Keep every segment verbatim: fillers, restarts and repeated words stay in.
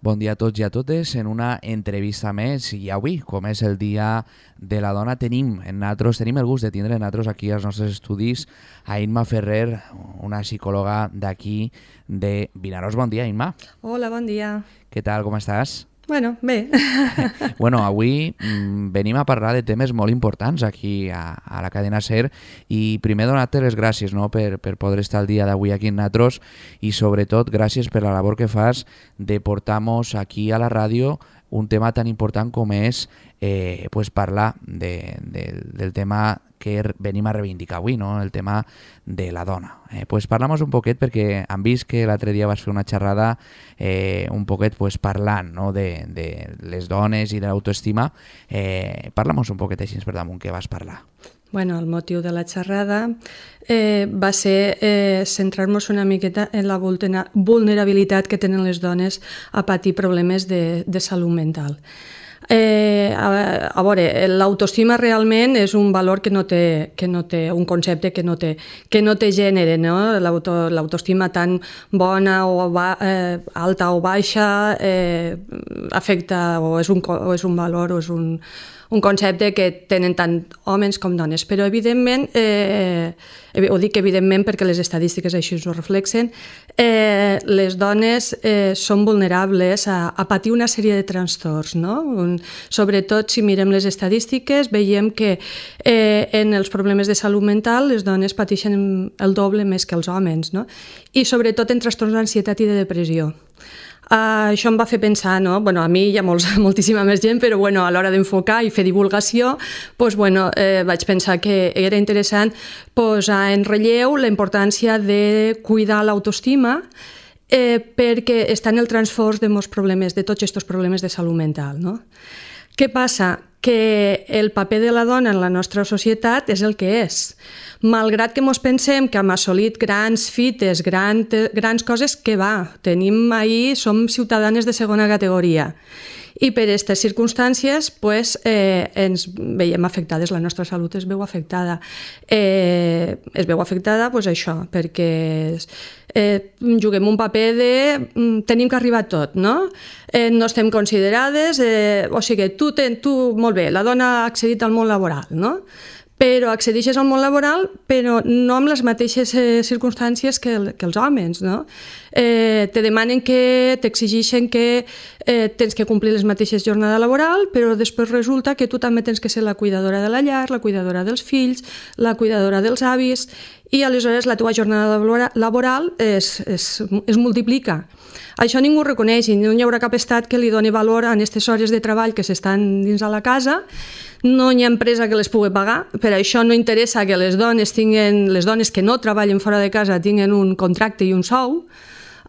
Bon dia a tots i a totes en una entrevista més i avui, com és el Dia de la Dona, tenim en nosaltres, tenim el gust de tindre en nosaltres aquí als nostres estudis a Imma Ferrer, una psicòloga d'aquí de Vinaròs. Bon dia, Imma. Hola, bon dia. Què tal, com estàs? Bueno, bé. Bueno, avui mm, venim a parlar de temes molt importants aquí a, a la cadena SER i primer donar-te les gràcies, no?, per, per poder estar el dia d'avui aquí amb nosaltres i sobretot gràcies per la labor que fas de portar-nos aquí a la ràdio un tema tan important com és eh, pues parlar de, de, del tema que venim a reivindicar avui, no?, el tema de la dona. Eh, pues parla'm un poquet perquè hem vist que l'altre dia vas fer una xerrada eh, un poquet pues, parlant, no?, de, de les dones i de l'autoestima. Eh, parla'm un poquet així per damunt què vas parlar. Bueno, el motiu de la xerrada eh, va ser eh, centrar-nos una miqueta en la vulnerabilitat que tenen les dones a patir problemes de, de salut mental. Eh, a, a veure, l'autoestima realment és un valor que no té, que no té un concepte que no té, que no té gènere, no? L'auto, l'autoestima tan bona o ba, eh, alta o baixa eh, afecta o és, un, o és un valor o és un, un concepte que tenen tant homes com dones, però evidentment, eh, ho dic evidentment perquè les estadístiques així ho reflexen, eh, les dones eh, són vulnerables a, a patir una sèrie de trastorns, no? Un, sobretot si mirem les estadístiques veiem que eh, en els problemes de salut mental les dones pateixen el doble més que els homes, no? I sobretot en trastorns d'ansietat i de depressió. Uh, això em va fer pensar, no? Bueno, a mi hi ha molts, moltíssima més gent, però bueno, a l'hora d'enfocar i fer divulgació, doncs, bueno, eh, vaig pensar que era interessant posar en relleu la importància de cuidar l'autoestima eh, perquè està en el transfors de molts problemes, de tots aquests problemes de salut mental, no? Què passa? Que el paper de la dona en la nostra societat és el que és. Malgrat que ens pensem que hem assolit grans fites, gran, grans coses, que va, tenim ahir, som ciutadanes de segona categoria. I per aquestes circumstàncies pues, eh, ens veiem afectades, la nostra salut es veu afectada. Eh, es veu afectada pues, això, perquè eh, juguem un paper de tenim que arribar a tot, no? Eh, no estem considerades, eh, o sigui, tu, ten, tu, molt bé, la dona ha accedit al món laboral, no? Però accedeixes al món laboral, però no amb les mateixes eh, circumstàncies que, el, que els homes, no? Eh, te demanen que, t'exigeixen que eh, tens que complir les mateixes jornades laboral, però després resulta que tu també tens que ser la cuidadora de la llar, la cuidadora dels fills, la cuidadora dels avis, i aleshores la teva jornada laboral es, es, es multiplica. Això ningú ho reconeix i no hi haurà cap estat que li doni valor a aquestes hores de treball que s'estan dins de la casa. No hi ha empresa que les pugui pagar, per això no interessa que les dones tinguen, les dones que no treballen fora de casa tinguen un contracte i un sou.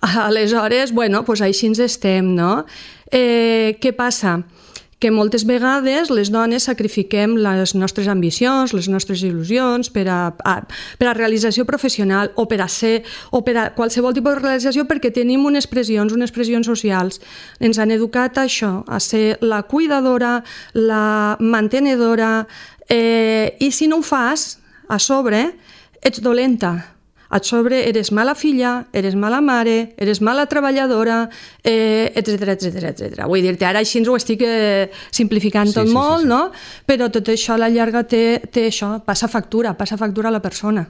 Aleshores, bueno, doncs així ens estem, no? Eh, què passa? Que moltes vegades les dones sacrifiquem les nostres ambicions, les nostres il·lusions per a, a, per a realització professional o per a ser, o per a qualsevol tipus de realització perquè tenim unes pressions, unes pressions socials. Ens han educat a això, a ser la cuidadora, la mantenedora, eh, i si no ho fas, a sobre, ets dolenta. A sobre eres mala filla, eres mala mare, eres mala treballadora, eh, etcètera, etcètera, etcètera. Vull dir-te, ara així ens ho estic eh, simplificant sí, tot sí, molt, sí, sí. No? Però tot això a la llarga té, té això, passa factura, passa factura a la persona.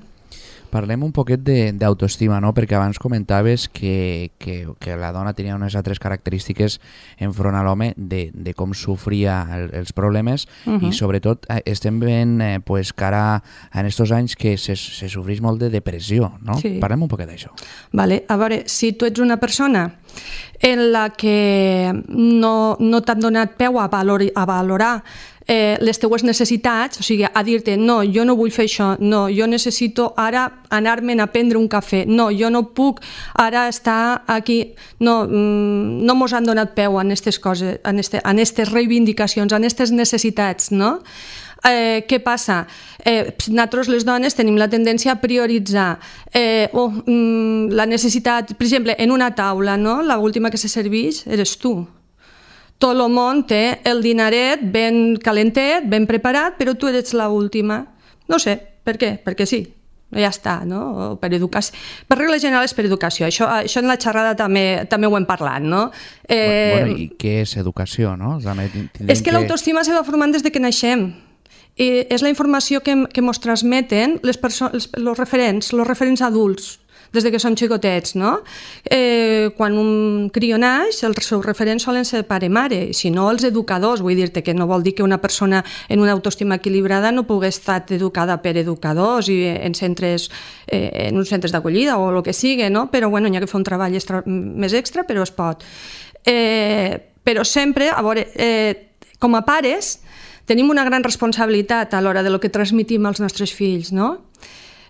Parlem un poquet d'autoestima, no? Perquè abans comentaves que, que, que la dona tenia unes altres característiques enfront a l'home de, de com sofria el, els problemes uh -huh. i sobretot estem veient eh, pues, que ara en aquests anys que se, se sofreix molt de depressió, no? Sí. Parlem un poquet d'això. Vale. A veure, si tu ets una persona en la que no, no t'han donat peu a, valor, a valorar Eh, les teues necessitats, o sigui, a dir-te no, jo no vull fer això, no, jo necessito ara anar-me'n a prendre un cafè, no, jo no puc ara estar aquí, no, no mos han donat peu en aquestes coses, en aquestes reivindicacions, en aquestes necessitats, no? Eh, què passa? Eh, nosaltres les dones tenim la tendència a prioritzar eh, oh, mm, la necessitat, per exemple, en una taula, no? L'última que se serveix eres tu. Tot el món té el dinaret ben calentet, ben preparat, però tu eres l'última. No sé, per què? Perquè sí. ja està, no? O per educació. Per regla general és per educació. Això, això en la xerrada també, també ho hem parlat, no? Eh... Bueno, i què és educació, no? També és que, que l'autoestima se va formant des de que naixem. I és la informació que, que mos transmeten les persones, els referents, els referents adults, des de que som xicotets, no? Eh, quan un crió naix, els seus referents solen ser pare-mare, si no els educadors, vull dir-te que no vol dir que una persona en una autoestima equilibrada no pugui estar educada per educadors i en centres, eh, en uns centres d'acollida o el que sigui, no? Però bueno, hi ha que fer un treball extra, més extra, però es pot. Eh, però sempre, a veure, eh, com a pares, tenim una gran responsabilitat a l'hora de lo que transmitim als nostres fills, no?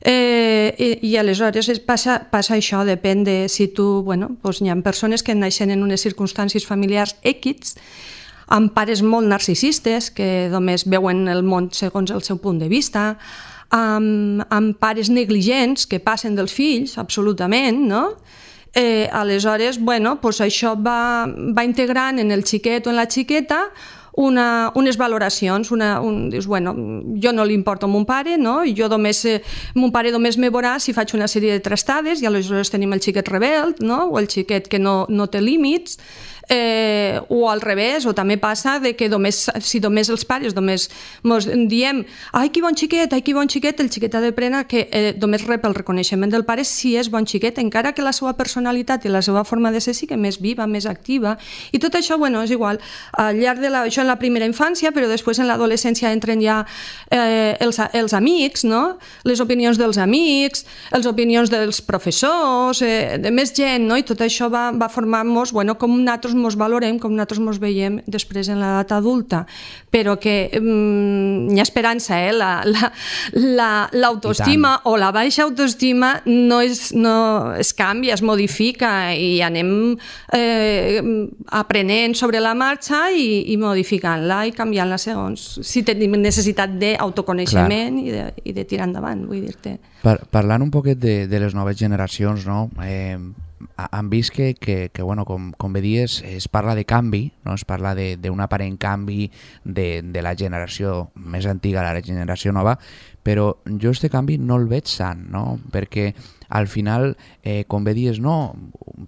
Eh, i, i aleshores es passa, passa això, depèn de si tu, bueno, doncs hi ha persones que naixen en unes circumstàncies familiars X, amb pares molt narcisistes que només veuen el món segons el seu punt de vista, amb, amb pares negligents que passen dels fills, absolutament, no? Eh, aleshores, bueno, doncs això va, va integrant en el xiquet o en la xiqueta Una, unes valoracions, una, un, dius, bueno, jo no li importo a mon pare, no? I jo només, eh, mon pare només me veurà si faig una sèrie de trastades i aleshores tenim el xiquet rebel, no? O el xiquet que no, no té límits, eh, o al revés, o també passa de que només, si només els pares només mos diem ai, que bon xiquet, ai, que bon xiquet, el xiquet ha d'aprendre que eh, només rep el reconeixement del pare si és bon xiquet, encara que la seva personalitat i la seva forma de ser sí que més viva, més activa, i tot això, bueno, és igual, al llarg de la, això en la primera infància, però després en l'adolescència entren ja eh, els, els amics, no? Les opinions dels amics, les opinions dels professors, eh, de més gent, no? I tot això va, va formar-nos, bueno, com nosaltres mos valorem, com nosaltres mos veiem després en l'edat adulta, però que mm, hi ha esperança, eh? La, la, la, l'autoestima o la baixa autoestima no, és, no es canvia, es modifica i anem eh, aprenent sobre la marxa i, i modificant-la i canviant-la segons si tenim necessitat d'autoconeixement i de, i de tirar endavant, vull dir-te. Par parlant un poquet de, de les noves generacions, no? Eh, han vist que, que, que bueno, com, com bé dies, es parla de canvi, no? Es parla d'un aparent canvi de, de la generació més antiga a la generació nova, però jo este canvi no el veig sant, no? Perquè al final, eh, com bé dies, no,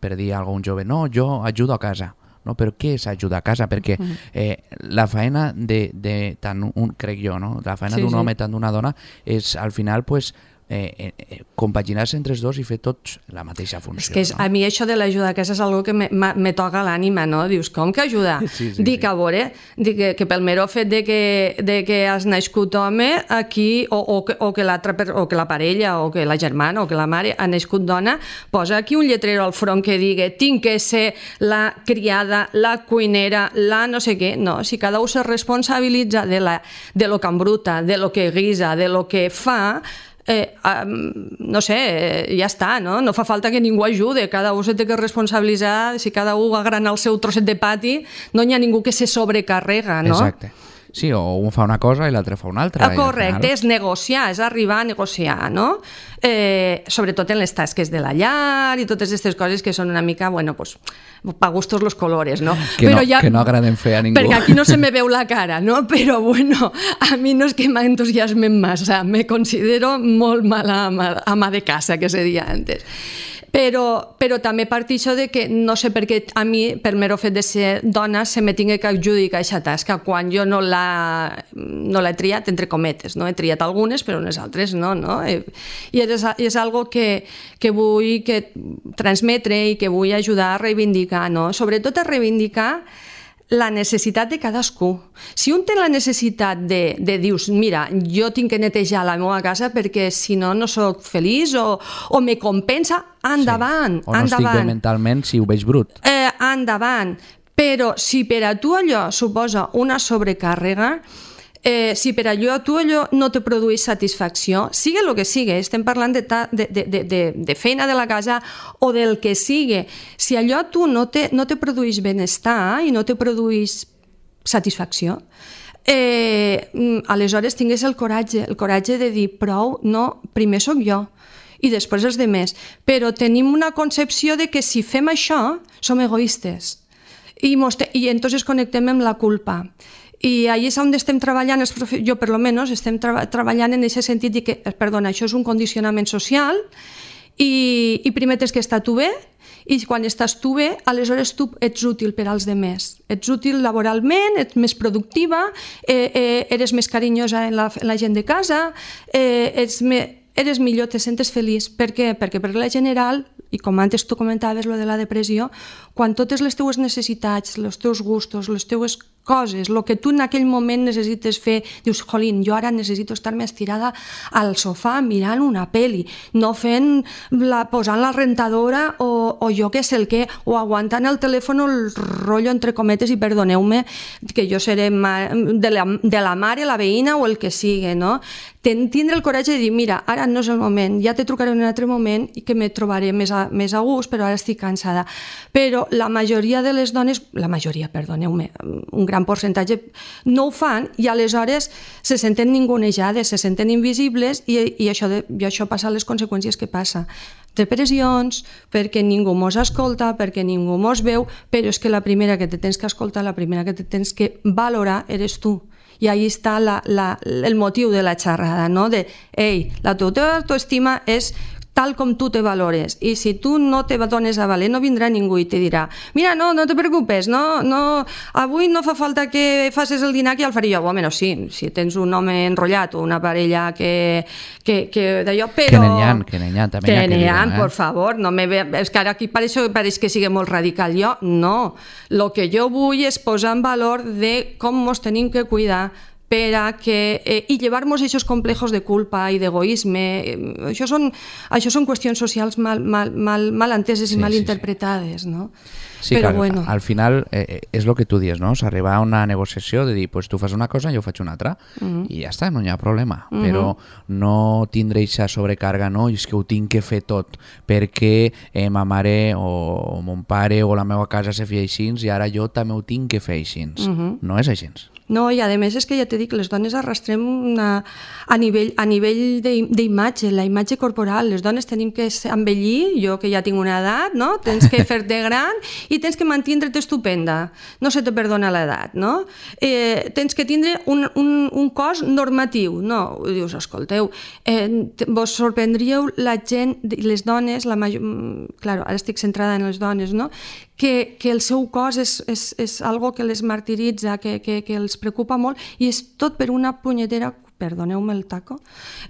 per dir a algun jove, no, jo ajudo a casa, no? Però què és ajudar a casa? Perquè eh, la feina de, de tant un, crec jo, no? La feina sí, d'un sí. home tant d'una dona és al final, pues, Eh, eh, compaginar-se entre els dos i fer tots la mateixa funció. És que és, no? A mi això de l'ajuda a casa és algo que me, me toca l'ànima, no? Dius, com que ajuda? Sí, sí, dic, sí. a veure, dic que, que pel mero fet de que, de que has nascut home aquí, o, o, que, o, que o que la parella, o que la germana, o que la mare ha nascut dona, posa aquí un lletrero al front que digui tinc que ser la criada, la cuinera, la no sé què. No, si cada un se responsabilitza de, la, de lo que embruta, de lo que guisa, de lo que fa, Eh, um, no sé, eh, ja està, no? No fa falta que ningú ajude, cada un se té que responsabilitzar, si cada un agrana el seu trosset de pati, no hi ha ningú que se sobrecarrega, no? Exacte. Sí, o un fa una cosa i l'altre fa una altra. Ah, correcte, final... és negociar, és arribar a negociar, no? Eh, sobretot en les tasques de la llar i totes aquestes coses que són una mica, bueno, pues, pa gustos los colores, no? Que, Però no, ja... que no agraden fer a ningú. Perquè aquí no se me veu la cara, no? Però, bueno, a mi no és que m'entusiasmen massa, me considero molt mala ama, ama de casa, que se dia antes. Però, però també partixo de que no sé per què a mi, per mero fet de ser dona, se me tingui que adjudicar aquesta tasca quan jo no l'he no triat, entre cometes, no? He triat algunes, però unes altres no, no? I és, és algo que, que vull que transmetre i que vull ajudar a reivindicar, no? Sobretot a reivindicar la necessitat de cadascú. Si un té la necessitat de, de dius, mira, jo tinc que netejar la meva casa perquè si no, no soc feliç o, o me compensa, endavant, sí. O no endavant. estic bé mentalment si ho veig brut. Eh, endavant. Però si per a tu allò suposa una sobrecàrrega, Eh, si per allò tu allò no te produeix satisfacció, sigui el que sigui, estem parlant de, ta, de, de, de, de feina de la casa o del que sigui, si allò tu no te, no te produeix benestar i no te produeix satisfacció, eh, aleshores tingues el coratge, el coratge de dir prou, no, primer sóc jo i després els demés, però tenim una concepció de que si fem això som egoistes i, i entonces connectem amb la culpa. I allà és on estem treballant, jo per lo menos, estem tra treballant en aquest sentit de que, perdona, això és un condicionament social i, i primer tens que estar tu bé, i quan estàs tu bé, aleshores tu ets útil per als demés. Ets útil laboralment, ets més productiva, eh, eh, eres més carinyosa en la, en la gent de casa, eh, ets, me, eres millor, te sentes feliç. Per què? Perquè per la general, i com antes tu comentaves lo de la depressió, quan totes les teues necessitats, els teus gustos, les teues coses, el que tu en aquell moment necessites fer, dius, jolín, jo ara necessito estar-me estirada al sofà mirant una peli, no fent la, posant la rentadora o, o jo què sé el què, o aguantant el telèfon el rotllo entre cometes, i perdoneu-me que jo seré ma, de, la, de la mare, la veïna o el que sigui, no? Ten, tindre el coratge de dir, mira, ara no és el moment, ja te trucaré en un altre moment i que me trobaré més a, més a gust, però ara estic cansada. Però la majoria de les dones, la majoria, perdoneu-me, un gran percentatge, no ho fan i aleshores se senten ningunejades, se senten invisibles i, i, això, de, i això passa les conseqüències que passa. Depressions, perquè ningú mos escolta, perquè ningú mos veu, però és que la primera que te tens que escoltar, la primera que te tens que valorar eres tu. I ahí està la, la, el motiu de la xerrada, no? De, ei, la teva autoestima és tal com tu te valores, i si tu no te dones a valer, no vindrà ningú i te dirà, mira, no, no te preocupes, no, no, avui no fa falta que facis el dinar, que ja el faré jo. Bueno, sí, si tens un home enrotllat o una parella que, que, que d'allò, però... Que n'hi ha, que n'hi ha, també que n'hi ha, eh? Por favor, no me ve... és que ara aquí pareix, pareix que sigui molt radical. Jo, no, el que jo vull és posar en valor de com ens tenim que cuidar per a que, eh, i llevar-nos aquests complejos de culpa i d'egoisme. Eh, això, són, això són qüestions socials mal, mal, mal, mal enteses i sí, mal sí, interpretades, sí. No? Sí, però que bueno. Al final eh, és el que tu dius, no? S'arriba a una negociació de dir, pues tu fas una cosa, jo faig una altra, uh -huh. i ja està, no hi ha problema. Uh -huh. Però no tindre aquesta sobrecarga, no? I és que ho tinc que fer tot, perquè eh, ma mare o mon pare o la meva casa se feia així i ara jo també ho tinc que fer així. Uh -huh. No és així. No, i a més és que ja t'he dit que les dones arrastrem una, a nivell, a nivell d'imatge, la imatge corporal. Les dones tenim que envellir, jo que ja tinc una edat, no? Tens que fer-te gran i tens que mantindre't estupenda. No se te perdona l'edat, no? Eh, tens que tindre un, un, un cos normatiu, no? Dius, escolteu, eh, vos sorprendríeu la gent, les dones, la major... Claro, ara estic centrada en les dones, no? Que, que el seu cos és, és, és algo que les martiritza, que, que, que els preocupa molt, i és tot per una punyetera, perdoneu-me el taco,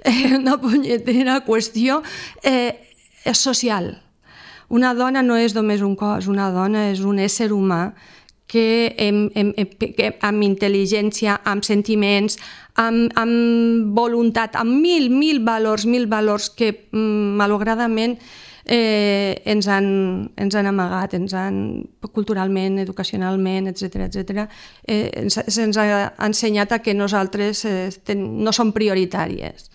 eh, una punyetera qüestió eh, social. Una dona no és només un cos, una dona és un ésser humà que, em, em, que amb intel·ligència, amb sentiments, amb, amb voluntat, amb mil, mil valors, mil valors que malauradament Eh, ens, han, ens han amagat, ens han culturalment, educacionalment, etcètera, etcètera, eh, ens, ens ha ensenyat a que nosaltres eh, ten, no som prioritàries.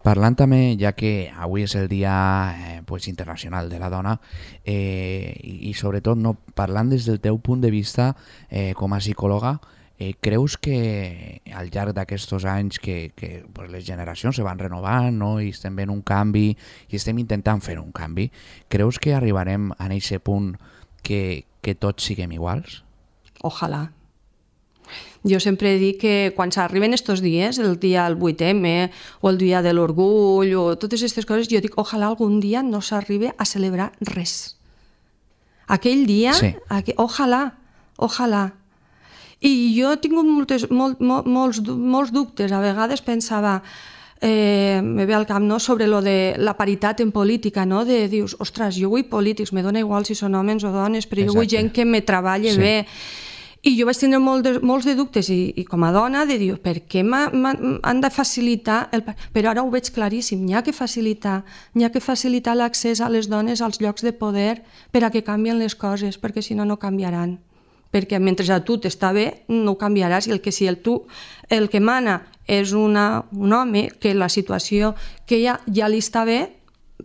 Parlant també, ja que avui és el Dia eh, pues, Internacional de la Dona, eh, i, i sobretot no, parlant des del teu punt de vista eh, com a psicòloga, Eh, creus que al llarg d'aquests anys que, que pues, les generacions se van renovant, no? I estem fent un canvi i estem intentant fer un canvi, creus que arribarem a aquest punt que, que tots siguem iguals? Ojalà. Jo sempre dic que quan s'arriben estos dies, el dia del vuit eme o el dia de l'orgull o totes aquestes coses, jo dic, ojalà algun dia no s'arribi a celebrar res. Aquell dia, sí. aqu... ojalà, ojalà. I jo he tingut moltes, molt, molt, molts, molts dubtes. A vegades pensava, eh, me ve al cap, no?, sobre lo de la paritat en política, no? De dius, ostres, jo vull polítics, me dona igual si són homes o dones, però Exacte. Jo vull gent que me treballi sí. bé. I jo vaig tindre molt de, molts de dubtes i, i com a dona de dir, per què han de facilitar... El... Però ara ho veig claríssim, n'hi ha que facilitar, n'hi ha que facilitar l'accés a les dones als llocs de poder per a que canvien les coses, perquè si no, no canviaran. Perquè mentre a tu t'està bé, no ho canviaràs, i el que si el, tu, el que mana és una, un home, que la situació que ja, ja li està bé,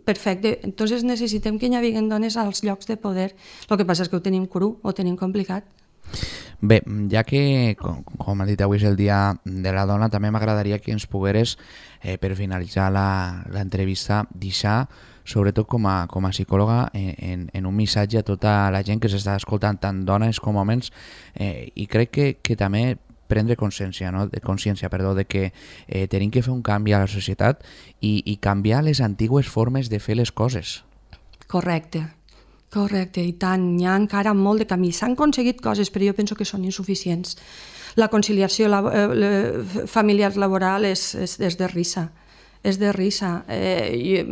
perfecte. Entonces necessitem que hi hagi dones als llocs de poder. El que passa és que ho tenim cru, ho tenim complicat. Bé, ja que, com, com ha dit avui és el Dia de la Dona, també m'agradaria que ens pogueres, eh, per finalitzar l'entrevista, deixar, sobretot com a, com a psicòloga, en, en un missatge a tota la gent que s'està escoltant, tant dones com homes, eh, i crec que, que també prendre consciència, no? de consciència perdó, de que eh, tenim que fer un canvi a la societat i, i canviar les antigues formes de fer les coses. Correcte. Correcte, i tant, hi ha encara molt de camí. S'han aconseguit coses, però jo penso que són insuficients. La conciliació la, eh, familiar laboral és, és, és de risa, és de risa. Eh, i,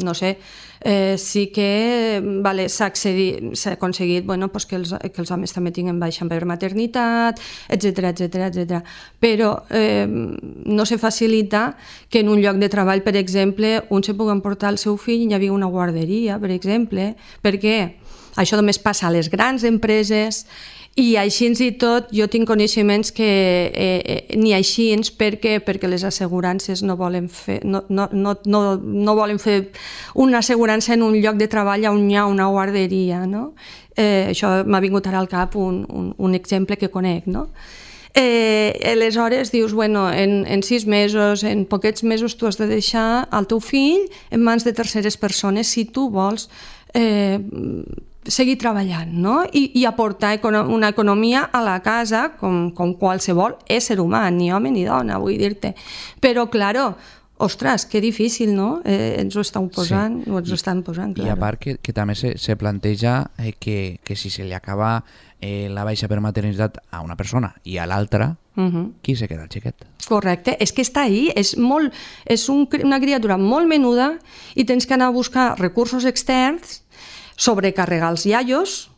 no sé, eh, sí que vale, s'ha aconseguit bueno, pues que, els, que els homes també tinguin baixa per maternitat, etcètera, etcètera, etcètera. Però eh, no se facilita que en un lloc de treball, per exemple, un se pugui emportar el seu fill i hi havia una guarderia, per exemple, perquè això només passa a les grans empreses. I així i tot jo tinc coneixements que eh, eh, ni així perquè perquè les assegurances no volen fer no, no, no, no, no volen fer una assegurança en un lloc de treball on hi ha una guarderia, no? Eh, això m'ha vingut ara al cap un, un, un exemple que conec, no? Eh, aleshores dius, bueno, en, en sis mesos, en poquets mesos tu has de deixar el teu fill en mans de terceres persones si tu vols eh, seguir treballant, no? I, i aportar econo una economia a la casa com, com qualsevol ésser humà, ni home ni dona, vull dir-te. Però, claro, ostres, que difícil, no? Eh, ens ho estan posant, sí. ens ho estan posant, claro. I a part que, que també se, se planteja eh, que, que si se li acaba eh, la baixa per maternitat a una persona i a l'altra, uh-huh. qui se queda el xiquet? Correcte, és que està ahí, és, molt, és un, una criatura molt menuda i tens que anar a buscar recursos externs, sobrecarregar els iaios,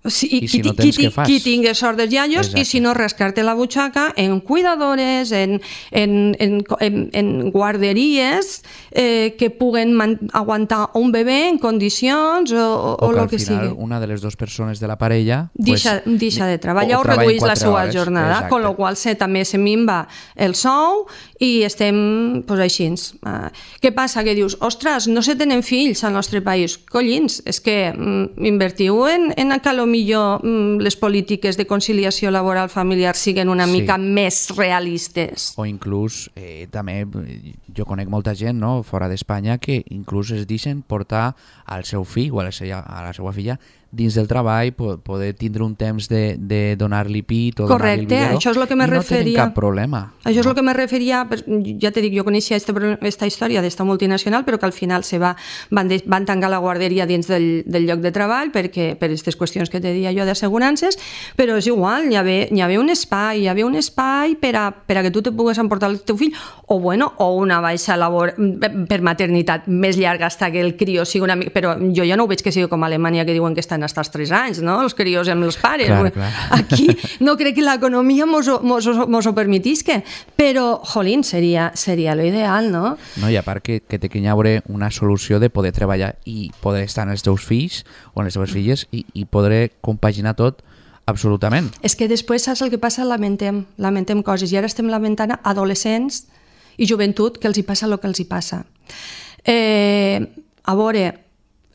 si, i si qui, no tens, qui, què fas? Qui tingui sort dels iaios. Exacte. I si no, rascar-te la butxaca en cuidadores, en, en, en, en, en guarderies eh, que puguen aguantar un bebè en condicions o, o, o que o al que final sigui. Una de les dues persones de la parella Deixa, pues, deixa de treballar o, o redueix la seva hores. jornada, Exacte. con lo qual se, també se minva el sou i estem pues, així. Uh, què passa? Que dius, ostres, no se tenen fills al nostre país. Collins, és que mm, invertiu en, en que lo millor mm, les polítiques de conciliació laboral familiar siguen una sí. mica més realistes. O inclús, eh, també, jo conec molta gent no, fora d'Espanya que inclús es deixen portar al seu fill o a la seva, a la seva filla dins del treball, poder tindre un temps de, de donar-li pit o donar-li el biberó. Això és el que me no referia. tenen cap problema. Això no? és el que me referia, ja te dic, jo coneixia aquesta història d'esta multinacional, però que al final se va, van, de, van tancar la guarderia dins del, del lloc de treball perquè, per aquestes qüestions que te deia jo d'assegurances, però és igual, hi havia, hi havia un espai, hi havia un espai per a, per a que tu te pugues emportar el teu fill, o bueno, o una baixa labor per maternitat més llarga hasta que el crió sigui una mica... Però jo ja no ho veig que sigui com a Alemanya, que diuen que estan hasta els tres anys, no? Els crios amb els pares. Clar, clar. Aquí no crec que l'economia mos, mos, mos ho permetisca, però, jolín, seria, seria lo ideal, no? No, i a part que, que té que hi haure una solució de poder treballar i poder estar amb els teus fills o amb les teves filles i, i poder compaginar tot absolutament. És que després saps el que passa? Lamentem, lamentem coses i ara estem lamentant adolescents i joventut que els hi passa el que els hi passa. Eh, a veure,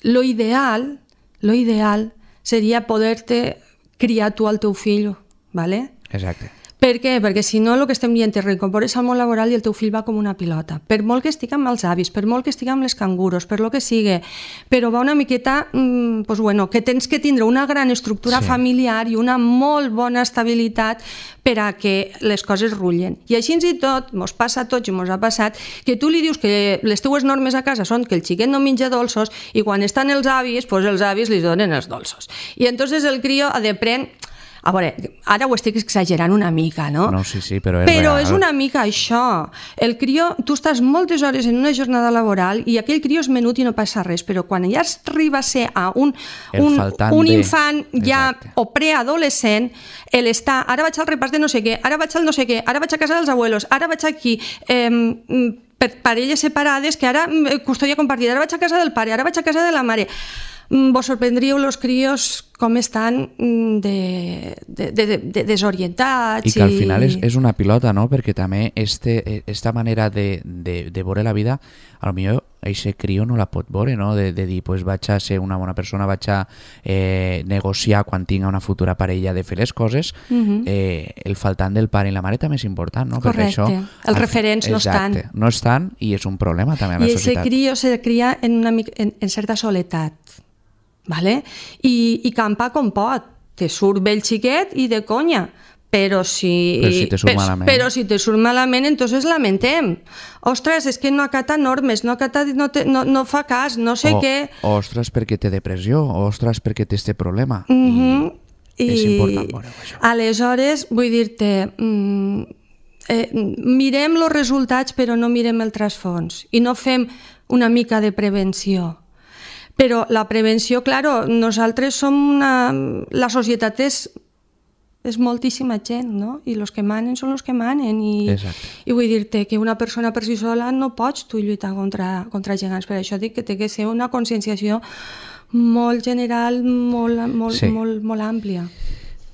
lo ideal, lo ideal seria poder-te criar tu al teu fill, ¿vale? Exacte. Per què? Perquè si no el que estem dient és reincorpores al món laboral i el teu fill va com una pilota. Per molt que estigui amb els avis, per molt que estigui amb les canguros, per lo que sigui, però va una miqueta, mmm, pues bueno, que tens que tindre una gran estructura sí. familiar i una molt bona estabilitat per a que les coses rullen. I així i tot, mos passa a tots i mos ha passat, que tu li dius que les teues normes a casa són que el xiquet no menja dolços i quan estan els avis, pues els avis li donen els dolços. I entonces el crio ha de prendre... A veure, ara ho estic exagerant una mica, no? No, sí, sí, però és Però real. és una mica això. El crió, tu estàs moltes hores en una jornada laboral i aquell crió és menut i no passa res, però quan ja arriba a ser a un, un, un de... infant ja Exacte. o preadolescent, el està, ara vaig al repàs de no sé què, ara vaig al no sé què, ara vaig a casa dels abuelos, ara vaig aquí... Eh, per parelles separades, que ara custòdia compartida, ara vaig a casa del pare, ara vaig a casa de la mare... Vos sorprendríeu els crios com estan de, de, de, de desorientats. I que al final és, és una pilota, no? Perquè també este, esta manera de, de, de veure la vida, a lo millor aquest crió no la pot veure, no? De, de dir, pues vaig a ser una bona persona, vaig a eh, negociar quan tinga una futura parella de fer les coses. Uh-huh. eh, el faltant del pare i la mare també és important, no? Correcte, això, els referents no estan. Exacte, no estan i és un problema també a la I societat. I aquest crió se cria en, una, en, en certa soledat. Vale? I, i campa com pot, te surt bé el xiquet i de conya, Però si, però si te surt malament, però si te surt malament entonces lamentem. Ostres, és que no acata normes, no, acata, no, te, no, no fa cas, no sé o, què. Ostres, perquè té depressió, ostres, perquè té este problema. Mm -hmm. I, I és important veure això. Aleshores, vull dir-te, mm, eh, mirem els resultats però no mirem el trasfons i no fem una mica de prevenció. Però la prevenció, claro, nosaltres som una... La societat és és moltíssima gent, no? I els que manen són els que manen. I, i vull dir-te que una persona per si sola no pots tu lluitar contra, contra gegants. Per això dic que té que ser una conscienciació molt general, molt, molt, sí. molt, molt àmplia.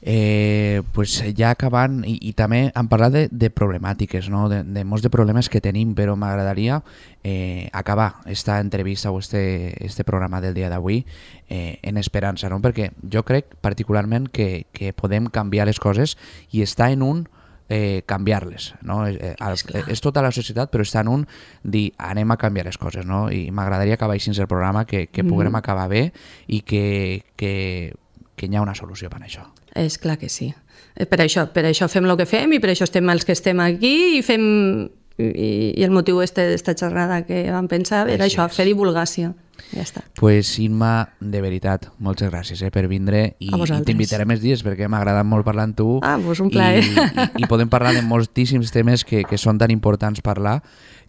Eh, pues ja acabant, i, i també hem parlat de, de problemàtiques, no? de, de molts de problemes que tenim, però m'agradaria eh, acabar esta entrevista o este, este programa del dia d'avui eh, en esperança, no? Perquè jo crec particularment que, que podem canviar les coses i està en un eh, canviar-les, no? Eh, és, és tota la societat, però està en un dir anem a canviar les coses, no? I m'agradaria acabar així el programa, que, que mm. puguem acabar bé i que, que, que hi ha una solució per a això. És clar que sí. Per això, per això fem el que fem i per això estem els que estem aquí i fem i, i el motiu este d'esta xerrada que vam pensar era això, fer divulgació. Ja està. Pues Imma, de veritat, moltes gràcies eh, per vindre i, i t'invitaré més dies perquè m'ha agradat molt parlar amb tu. Ah, pues un plaer. I, i, i podem parlar de moltíssims temes que, que són tan importants parlar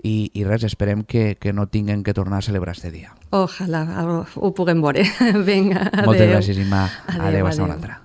i, i res, esperem que, que no tinguem que tornar a celebrar este dia. Ojalà ho puguem veure. Vinga, adéu. Moltes gràcies, Imma. Adéu, adéu, adéu. hasta una altra.